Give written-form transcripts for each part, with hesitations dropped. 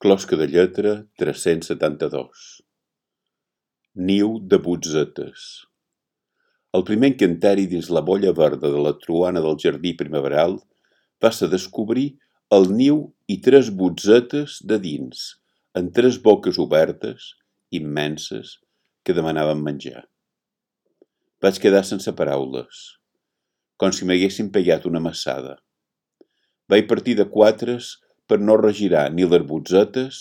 Closca de lletra 372. Niu de botzetes. El primer encanteri dins la bolla verda de la truana del jardí primaveral va ser descobrir el niu i 3 botzetes de dins, amb 3 boques obertes, immenses, que demanaven menjar. Vaig quedar sense paraules, com si m'haguessin pegat una massada. Vaig partir de 4 per no regirar ni les botzetes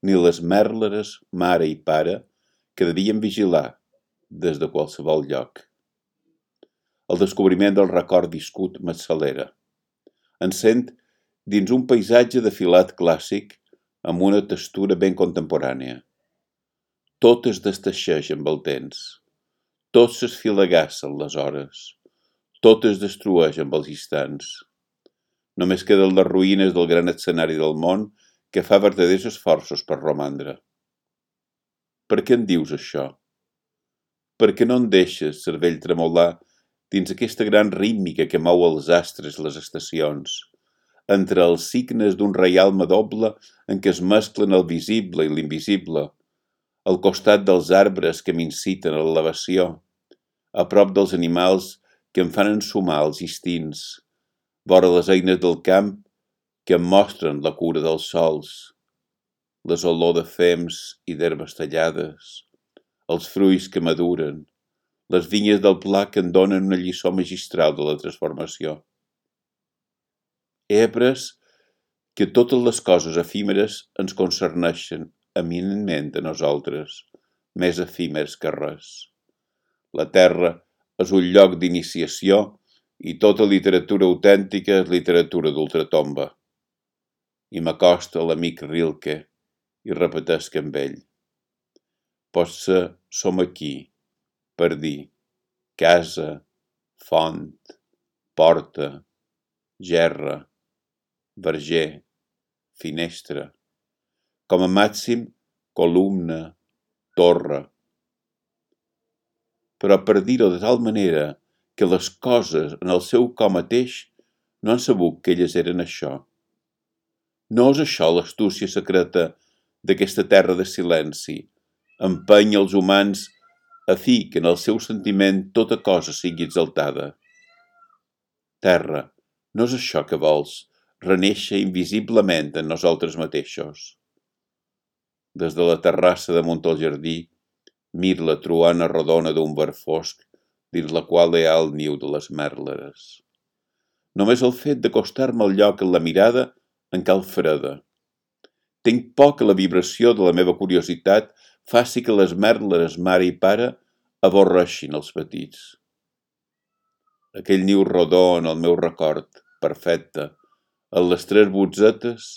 ni les mèrleres mare i pare que devien vigilar des de qualsevol lloc. El descobriment del record viscut m'accelera. Em sent dins un paisatge de filat clàssic amb una textura ben contemporània. Tot es desteixeix amb el temps. Tot s'esfilagassen les hores. Tot es destrueix amb els instants. Només queden les ruïnes del gran escenari del món que fa verdaders esforços per romandre. Per què em dius això? Per què no em deixes, cervell, tremolar dins aquesta gran rítmica que mou els astres i les estacions, entre els signes d'un reialme doble en què es mesclen el visible i l'invisible, al costat dels arbres que m'inciten a l'elevació, a prop dels animals que em fan ensumar els instints, vora les eines del camp que em mostren la cura dels sols, les olor de fems i d'herbes tallades, els fruits que maduren, les vinyes del pla que em donen una lliçó magistral de la transformació. He après que totes les coses efímeres ens concerneixen eminentment a nosaltres, més efímers que res. La terra és un lloc d'iniciació i tota literatura autèntica és literatura d'ultratomba. I m'acosta l'amic Rilke i repetesc amb ell. Potser som aquí, per dir casa, font, porta, gerra, verger, finestra, com a màxim columna, torre. Però per dir-ho de tal manera que les coses en el seu cos mateix no han sabut que elles eren això. No és això l'astúcia secreta d'aquesta terra de silenci, empeny els humans a fi que en el seu sentiment tota cosa sigui exaltada. Terra, no és això que vols, renéixer invisiblement en nosaltres mateixos. Des de la terrassa damunt el jardí, mir la truana rodona d'un verd fosc dins la qual hi ha el niu de les mèrleres. Només el fet d'acostar-me al lloc en la mirada em cal freda. Tinc por que la vibració de la meva curiositat faci que les mèrleres mare i pare avorreixin els petits. Aquell niu rodó en el meu record, perfecte, en les 3 botzetes,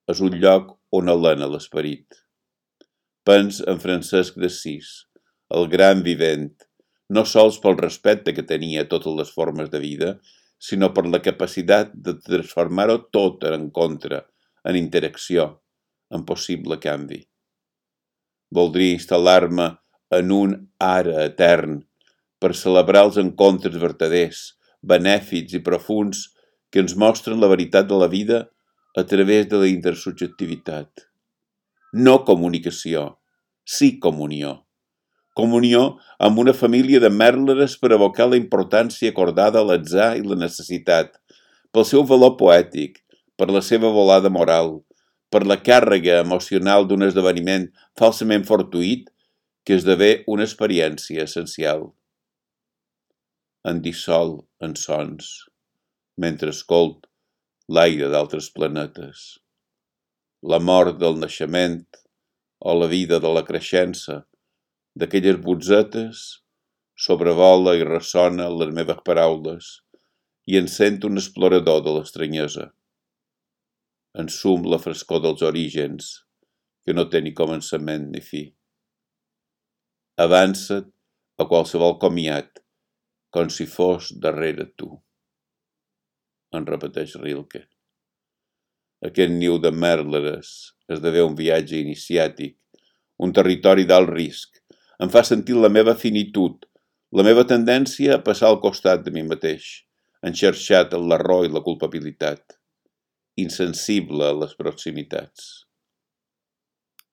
és un lloc on alena l'esperit. Pens en Francesc d'Assís, el gran vivent, no sols pel respecte que tenia a totes les formes de vida, sinó per la capacitat de transformar-ho tot en contra, en interacció, en possible canvi. Voldria instal·lar-me en un ara etern per celebrar els encontres vertaders, benèfics i profunds que ens mostren la veritat de la vida a través de la intersubjectivitat. No comunicació, sí comunió. Comunió amb una família de mèrleres per evocar la importància acordada a l'atzar i la necessitat, pel seu valor poètic, per la seva volada moral, per la càrrega emocional d'un esdeveniment falsament fortuït que esdevé una experiència essencial. Em dissol en sons, mentre escolt l'aire d'altres planetes. La mort del naixement o la vida de la creixença d'aquelles botzetes sobrevola i ressona les meves paraules i em sent un explorador de l'estranyesa. Ensum la frescor dels orígens, que no té ni començament ni fi. Avança't a qualsevol comiat, com si fos darrere tu. En repeteix Rilke. Aquest niu de mèrleres esdevé un viatge iniciàtic, un territori d'alt risc. Em fa sentir la meva finitud, la meva tendència a passar al costat de mi mateix, enxarxat en l'error i la culpabilitat, insensible a les proximitats.